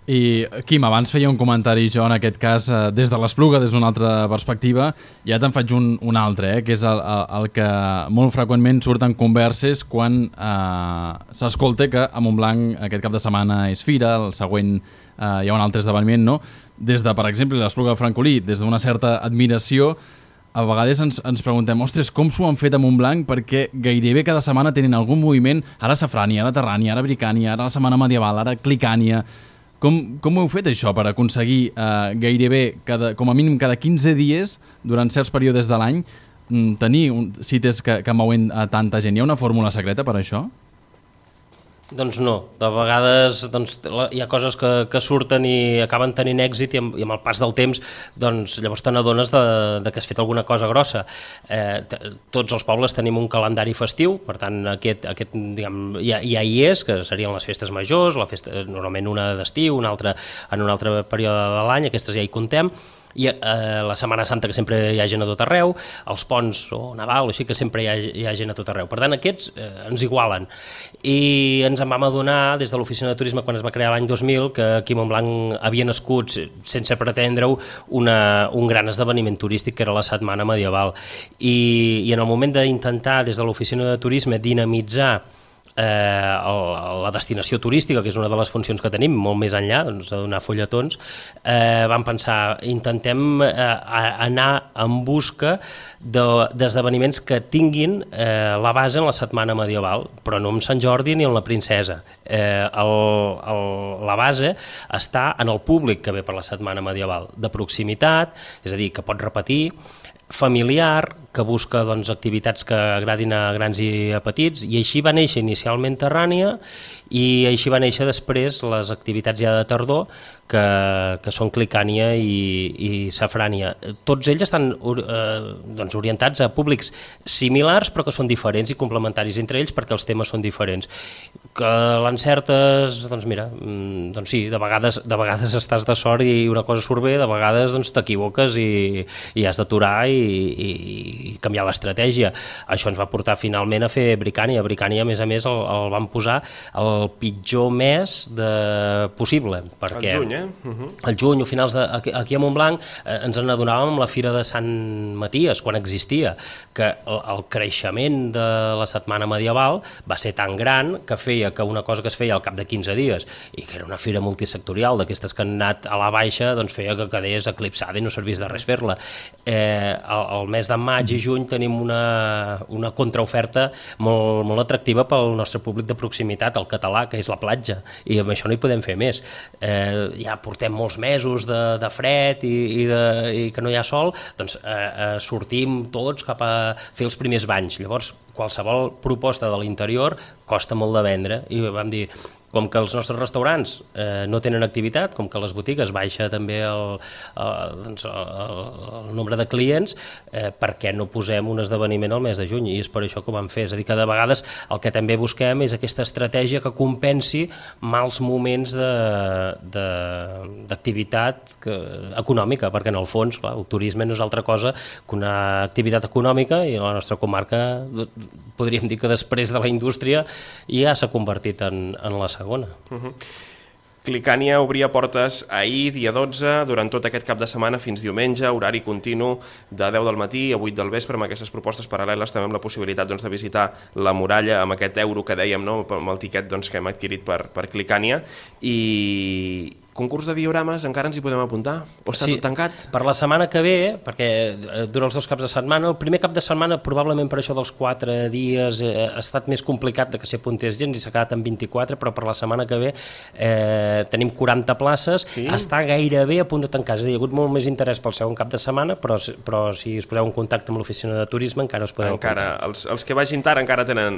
I Quim, abans feia un comentari jo en aquest cas des de l'Espluga, des d'una altra perspectiva, ja te'n faig un altre, que és el que molt freqüentment surten converses quan s'escolta que a Montblanc aquest cap de setmana és fira, el següent hi ha un altre esdeveniment, no? Des de, per exemple, l'Espluga de Francolí, des d'una certa admiració, a vegades ens preguntem, ostres, com s'ho han fet a Montblanc, perquè gairebé cada setmana tenen algun moviment, ara Safrània, ara Terrània, ara Bricània, ara la Setmana Medieval, ara Clicània. Com ho heu fet això per aconseguir gairebé, com a mínim cada 15 dies, durant certs períodes de l'any, tenir cites que mouen tanta gent? Hi ha una fórmula secreta per això? Doncs no, de vegades hi ha coses que surten i acaben tenint èxit, i amb el pas del temps llavors te n'adones que has fet alguna cosa grossa. Tots els pobles tenim un calendari festiu, per tant aquest ja hi és, que serien les festes majors, normalment una d'estiu, una altra en un altre període de l'any, aquestes ja hi contem. i la Setmana Santa, que sempre hi ha gent a tot arreu, els ponts o Nadal, així que sempre hi ha gent a tot arreu. Per tant, aquests ens igualen. I ens en vam adonar des de l'Oficina de Turisme, quan es va crear l'any 2000, que aquí a Montblanc havia nascut, sense pretendre-ho, un gran esdeveniment turístic, que era la Setmana Medieval. I en el moment d'intentar, des de l'Oficina de Turisme, dinamitzar la destinació turística, que és una de les funcions que tenim, molt més enllà de donar fulletons, vam pensar, intentem anar en busca d'esdeveniments que tinguin la base en la Setmana Medieval, però no en Sant Jordi ni en la Princesa. La base està en el públic que ve per la Setmana Medieval, de proximitat, és a dir, que pot repetir, familiar, que busca activitats que agradin a grans i a petits, i així va néixer inicialment Terrània, i així va néixer després les activitats ja de tardor, que són Clicània i Safrània. Tots ells estan orientats a públics similars, però que són diferents i complementaris entre ells, perquè els temes són diferents. Que l'encertes, doncs mira, doncs sí, de vegades estàs de sort i una cosa surt bé, de vegades t'equivoques i has d'aturar i canviar l'estratègia. Això ens va portar finalment a fer Bricània. Bricània, a més, el van posar el pitjor mes possible. Perquè el juny, al juny o finals aquí a Montblanc ens n'adonàvem amb la Fira de Sant Maties, quan existia, que el creixement de la Setmana Medieval va ser tan gran que feia que una cosa que es feia al cap de 15 dies i que era una fira multisectorial d'aquestes que han anat a la baixa, doncs feia que quedés eclipsada i no servís de res fer-la. El mes de maig i juny tenim una contraoferta molt atractiva pel nostre públic de proximitat, el català, que és la platja, i amb això no hi podem fer més. Ja portem molts mesos de fred i que no hi ha sol, doncs sortim tots cap a fer els primers banys. Llavors, qualsevol proposta de l'interior costa molt de vendre, i vam dir, com que els nostres restaurants no tenen activitat, com que les botigues baixa també el nombre de clients, per què no posem un esdeveniment al mes de juny? I és per això que ho vam fer. És a dir, que de vegades el que també busquem és aquesta estratègia que compensi mals moments d'activitat econòmica, perquè en el fons, clar, el turisme no és altra cosa que una activitat econòmica, i la nostra comarca podríem dir que després de la indústria ja s'ha convertit en la segona. Clicània obria portes ahir, dia 12, durant tot aquest cap de setmana fins diumenge, horari continu de 10 del matí a 8 del vespre, amb aquestes propostes paral·leles, també amb la possibilitat de visitar la muralla amb aquest euro que dèiem, amb el tiquet que hem adquirit per Clicània. I concurs de diorames, encara ens hi podem apuntar? O està tot tancat? Per la setmana que ve, perquè dura els 2 caps de setmana, el primer cap de setmana, probablement per això dels 4 dies, ha estat més complicat de que s'hi apuntés gent, i s'ha quedat en 24, però per la setmana que ve tenim 40 places, està gairebé a punt de tancar. És a dir, hi ha hagut molt més interès pel segon cap de setmana, però si us poseu en contacte amb l'oficina de turisme encara us podeu apuntar. Els que vagin tard encara tenen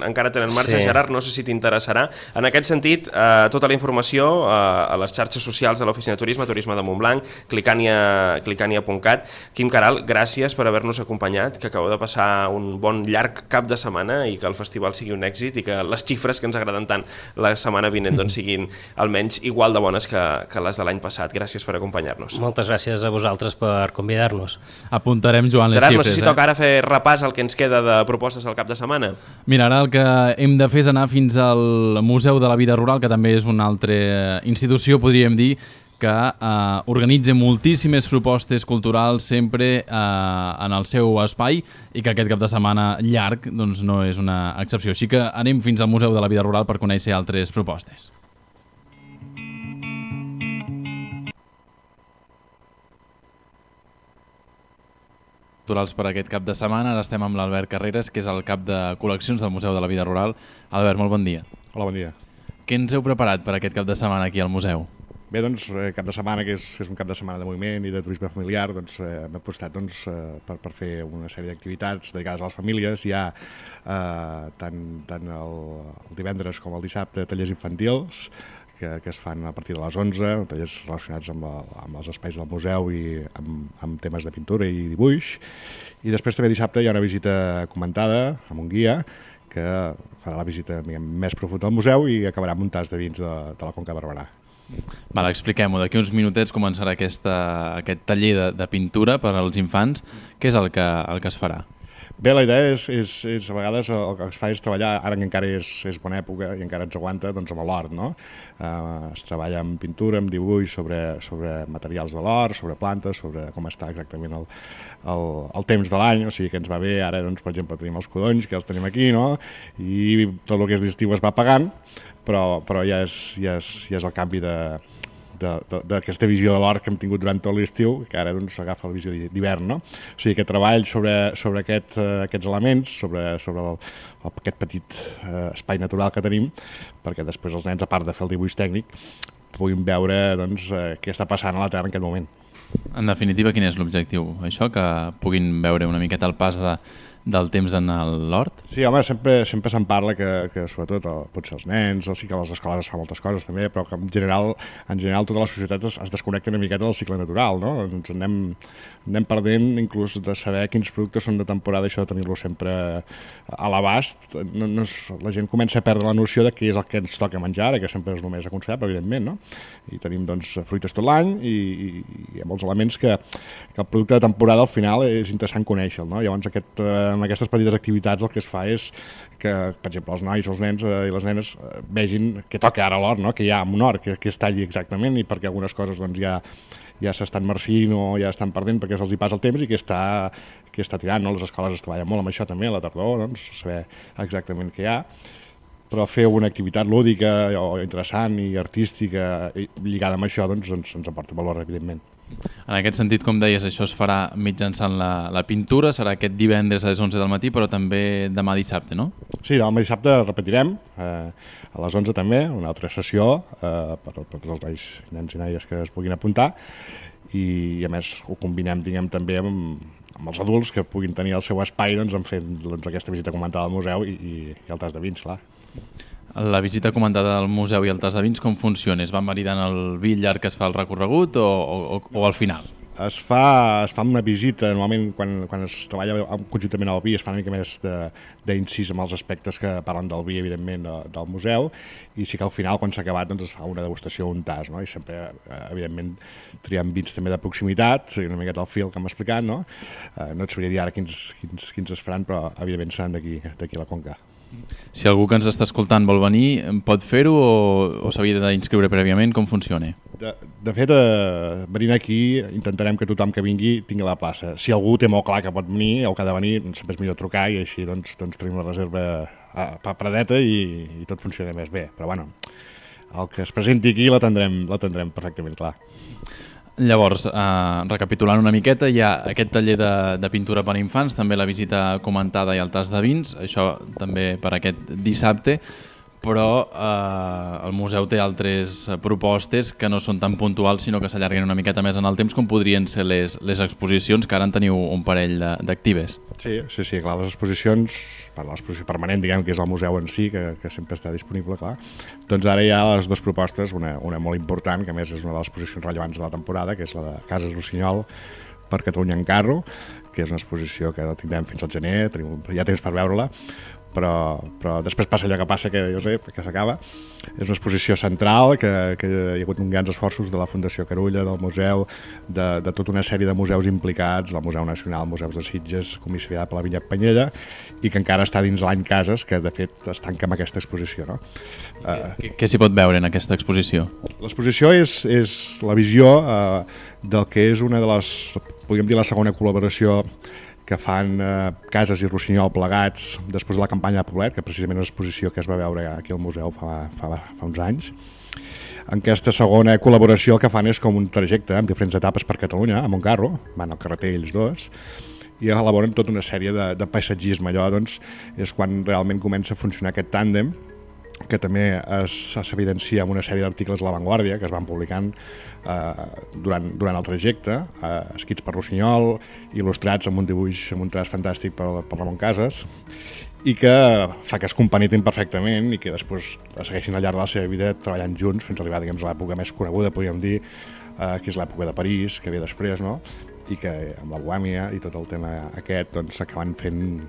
marxa. Gerard, no sé si t'interessarà. En aquest sentit, tota la informació a les xarxes socials de l'Oficina de Turisme, Turisme de Montblanc, clicània.cat. Quim Caral, gràcies per haver-nos acompanyat, que acabeu de passar un bon llarg cap de setmana i que el festival sigui un èxit i que les xifres que ens agraden tant la setmana vinent siguin almenys igual de bones que les de l'any passat. Gràcies per acompanyar-nos. Moltes gràcies a vosaltres per convidar-nos. Apuntarem, Joan, les Gerard, xifres. No sé si toca ara fer repàs al que ens queda de propostes al cap de setmana. Mira, ara el que hem de fer és anar fins al Museu de la Vida Rural, que també és una altra institució, podríem dir, que organitza moltíssimes propostes culturals sempre en el seu espai, i que aquest cap de setmana llarg doncs, no és una excepció. Així que anem fins al Museu de la Vida Rural per conèixer altres propostes. Culturals per aquest cap de setmana. Ara estem amb l'Albert Carreras, que és el cap de col·leccions del Museu de la Vida Rural. Albert, molt bon dia. Hola, bon dia. Què ens heu preparat per aquest cap de setmana aquí al museu? Bé, doncs, cap de setmana, que és un cap de setmana de moviment i de turisme familiar, doncs hem apostat per fer una sèrie d'activitats dedicades a les famílies. Hi ha tant el divendres com el dissabte tallers infantils que es fan a partir de les 11, tallers relacionats amb els espais del museu i amb temes de pintura i dibuix. I després també dissabte hi ha una visita comentada amb un guia que farà la visita més profunda al museu i acabarà amb un tas de vins de la Conca de Barberà. Vale, expliquem-ho. D'aquí uns minutets començarà aquest taller de pintura per als infants. Què és el que es farà? Bé, la idea és a vegades el que es fa és treballar, ara que encara és bona època i encara ens aguanta, doncs amb l'hort, no? Es treballa amb pintura, amb dibuix sobre materials de l'hort, sobre plantes, sobre com està exactament el temps de l'any, o sigui que ens va bé, ara doncs, per exemple tenim els codonys, que els tenim aquí, no? I tot el que és d'estiu es va pagant, però ja és el canvi d'aquesta visió de l'hort que hem tingut durant tot l'estiu, que ara doncs agafa la visió d'hivern, no? O sigui, aquest treball sobre aquests elements, sobre aquest petit espai natural que tenim, perquè després els nens, a part de fer el dibuix tècnic, puguin veure doncs, què està passant a la Terra en aquest moment. En definitiva, quin és l'objectiu? Això, que puguin veure una miqueta el pas del temps en l'hort? Sí, home, sempre se'n parla que sobretot potser els nens, sí que a les escoles es fa moltes coses també, però que en general tota la societat es desconnecta una miqueta del cicle natural, no? Ens anem perdent inclús de saber quins productes són de temporada, això de tenir-lo sempre a l'abast. La gent comença a perdre la noció de què és el que ens toca menjar, que sempre és només aconsellable, evidentment, no? I tenim doncs fruites tot l'any i hi ha molts elements que el producte de temporada al final és interessant conèixer-lo, no? Llavors amb aquestes petites activitats el que es fa és que, per exemple, els nois, els nens i les nenes vegin què toca ara a l'hort, no? Que hi ha en un hort, que es talli exactament, i perquè algunes coses doncs, ja s'estan marcint o ja estan perdent perquè se'ls hi passa el temps i que està tirant, no? Les escoles es treballen molt amb això també, a la tardor, doncs, saber exactament què hi ha, però fer una activitat lúdica o interessant i artística lligada amb això doncs, ens aporta valor, evidentment. En aquest sentit, com deies, això es farà mitjançant la pintura, serà aquest divendres a les 11 del matí, però també demà dissabte, no? Sí, demà dissabte repetirem, a les 11 també, una altra sessió per als nens i noies que es puguin apuntar, i a més ho combinem, diguem, també amb els adults que puguin tenir el seu espai doncs, en fent aquesta visita comentada al museu i el tas de vins, clar. La visita comentada al museu i el tas de vins, com funciona? Es va maridant el vi llarg que es fa el recorregut o al final? Es fa una visita, normalment quan es treballa conjuntament al vi es fa una mica més d'incís amb els aspectes que parlen del vi, evidentment, del museu, i sí que al final, quan s'ha acabat, doncs es fa una degustació, un tas, no? I sempre, evidentment, triem vins també de proximitat, una miqueta al fil que hem explicat, no? No et sabria dir ara quins es faran, però evidentment seran d'aquí a la Conca. Si algú que ens està escoltant vol venir, pot fer-ho o s'havia d'inscriure prèviament? Com funciona? De fet, venint aquí intentarem que tothom que vingui tingui la plaça. Si algú té molt clar que pot venir o que ha de venir, sempre és millor trucar i així doncs tenim la reserva paradeta i tot funciona més bé. Però bueno, el que es presenti aquí l'atendrem perfectament clar. Llavors, recapitulant una miqueta, hi ha aquest taller de pintura per a infants, també la visita comentada i el tas de vins, això també per aquest dissabte, però el museu té altres propostes que no són tan puntuals, sinó que s'allarguen una miqueta més en el temps, com podrien ser les exposicions, que ara en teniu un parell d'actives. Sí, clar, les exposicions, l'exposició permanent, diguem, que és el museu en si, que sempre està disponible, clar. Doncs ara hi ha les dues propostes, una molt important, que a més és una de les exposicions rellevants de la temporada, que és la de Cases Rossinyol per Catalunya en Carro, que és una exposició que la tindrem fins al gener, hi ha temps per veure-la, però després passa allò que passa, que s'acaba. És una exposició central, que hi ha hagut uns grans esforços de la Fundació Carulla, del museu, de tota una sèrie de museus implicats, del Museu Nacional, Museus de Sitges, comissariat per la Vinya Penyella, i que encara està dins l'any Cases, que de fet es tanca amb aquesta exposició. No? Què s'hi pot veure en aquesta exposició? L'exposició és la visió del que és una de les, podríem dir, la segona col·laboració que fan Cases i Rossinyol plegats després de la campanya de Poblet, que precisament és una exposició que es va veure aquí al museu fa uns anys. En aquesta segona col·laboració el que fan és com un trajecte amb diferents etapes per Catalunya, amb un carro, van al carreter ells dos, i elaboren tota una sèrie de paisatgisme. Allò doncs, és quan realment comença a funcionar aquest tàndem, que també s'evidencia amb una sèrie d'articles a La Vanguardia que es van publicant durant el trajecte, escrits per Rossinyol, il·lustrats amb un dibuix, amb un traç fantàstic per Ramon Casas, i que fa que es compenetin perfectament i que després segueixin al llarg de la seva vida treballant junts fins a arribar, diguem, a l'època més coneguda, podríem dir, que és l'època de París, que ve després, no? I que amb la Bohèmia i tot el tema aquest doncs, s'acaben fent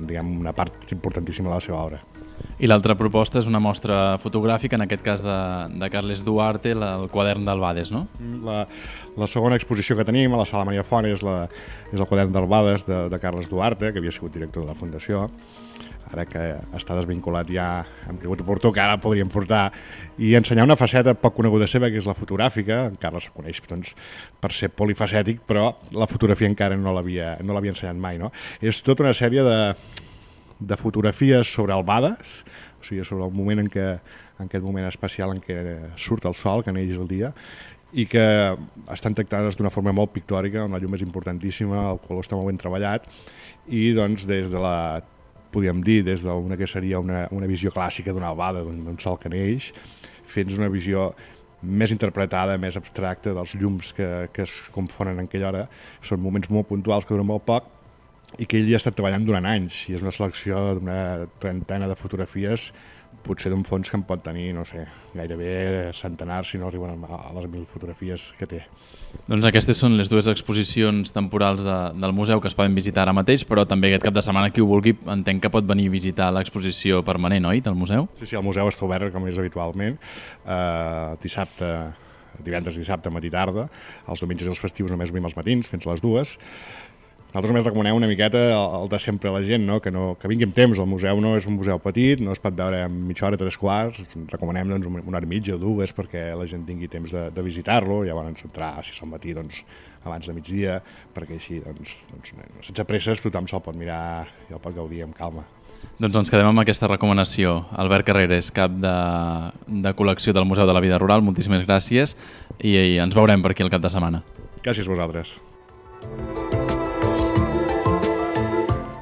diguem, una part importantíssima de la seva obra. I l'altra proposta és una mostra fotogràfica, en aquest cas de Carles Duarte, el quadern d'Albades, no? La segona exposició que tenim a la Sala Maria Font és el quadern d'Albades de Carles Duarte, que havia sigut director de la Fundació. Ara que està desvinculat ja hem cregut oportú que ara el podríem portar i ensenyar una faceta poc coneguda seva, que és la fotogràfica. En Carles se coneix doncs, per ser polifacètic, però la fotografia encara no l'havia ensenyat mai. No? És tota una sèrie de fotografies sobre Albades, o sigui, sobre el moment en aquest moment especial en què surt el sol, que neix el dia, i que estan tractades d'una forma molt pictòrica, on la llum és importantíssima, el color està molt ben treballat, i doncs des d'una que seria una visió clàssica d'una albada, d'un sol que neix, fins una visió més interpretada, més abstracta dels llums que es confonen en aquella hora. Són moments molt puntuals que duren molt poc i que ell hi ha estat treballant durant anys, i és una selecció d'una trentena de fotografies, potser d'un fons que en pot tenir, no sé, gairebé centenars, si no arriben a les 1.000 fotografies que té. Doncs aquestes són les dues exposicions temporals del museu que es poden visitar ara mateix, però també aquest cap de setmana qui ho vulgui entenc que pot venir a visitar l'exposició permanent, oi, del museu? Sí, el museu està obert com és habitualment, divendres, dissabte, matí i tarda, els diumenges i els festius només obrim els matins, fins a les 2. Nosaltres només recomanem una miqueta el de sempre a la gent, no? Que vingui amb temps. El museu no és un museu petit, no es pot veure en mitja hora, 3 quarts. Recomanem doncs, una hora i mitja o 2 perquè la gent tingui temps de visitar-lo. Llavors entrar, si és al matí, doncs, abans de migdia, perquè així, doncs, sense presses, tothom se'l pot mirar i el pot gaudir amb calma. Doncs ens quedem amb aquesta recomanació. Albert Carreras, cap de col·lecció del Museu de la Vida Rural, moltíssimes gràcies i ens veurem per aquí el cap de setmana. Gràcies a vosaltres.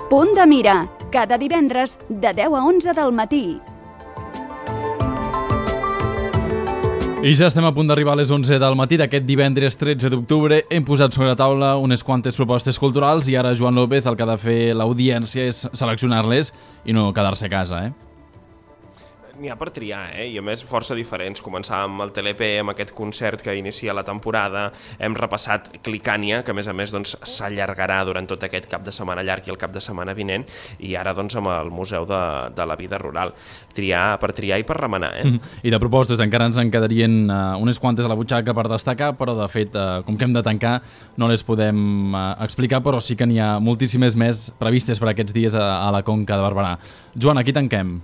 Punt de mira, cada divendres de 10 a 11 del matí. I ja estem a punt d'arribar a les 11 del matí d'aquest divendres 13 d'octubre. Hem posat sobre la taula unes quantes propostes culturals i ara Joan López el que ha de fer l'audiència és seleccionar-les i no quedar-se a casa, N'hi ha per triar, i a més força diferents. Començàvem amb el TLP, amb aquest concert que inicia la temporada, hem repassat Clicània, que a més doncs, s'allargarà durant tot aquest cap de setmana llarg i el cap de setmana vinent, i ara doncs amb el Museu de la Vida Rural. Per triar i per remenar, I de propostes encara ens en quedarien unes quantes a la butxaca per destacar, però de fet, com que hem de tancar, no les podem explicar, però sí que n'hi ha moltíssimes més previstes per aquests dies a la Conca de Barberà. Joan, aquí tanquem.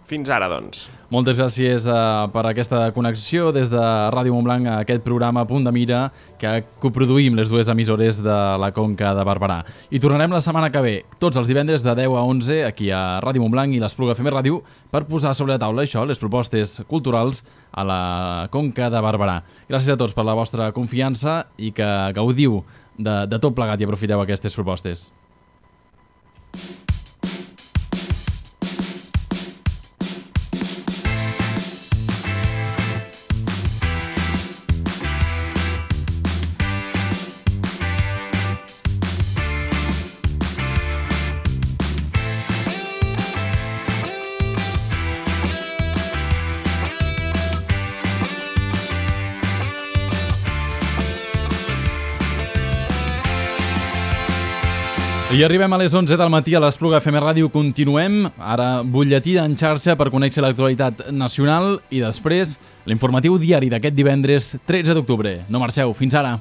Fins ara, doncs. Moltes gràcies per aquesta connexió des de Ràdio Montblanc a aquest programa Punt de Mira que coproduïm les dues emissores de la Conca de Barberà. I tornarem la setmana que ve, tots els divendres de 10 a 11 aquí a Ràdio Montblanc i l'Espluga FM Ràdio per posar sobre la taula les propostes culturals a la Conca de Barberà. Gràcies a tots per la vostra confiança i que gaudiu de tot plegat i aprofiteu aquestes propostes. I arribem a les 11 del matí a l'Espluga FM Ràdio. Continuem, ara butlletí en xarxa per conèixer l'actualitat nacional i després l'informatiu diari d'aquest divendres 13 d'octubre. No marxeu, fins ara.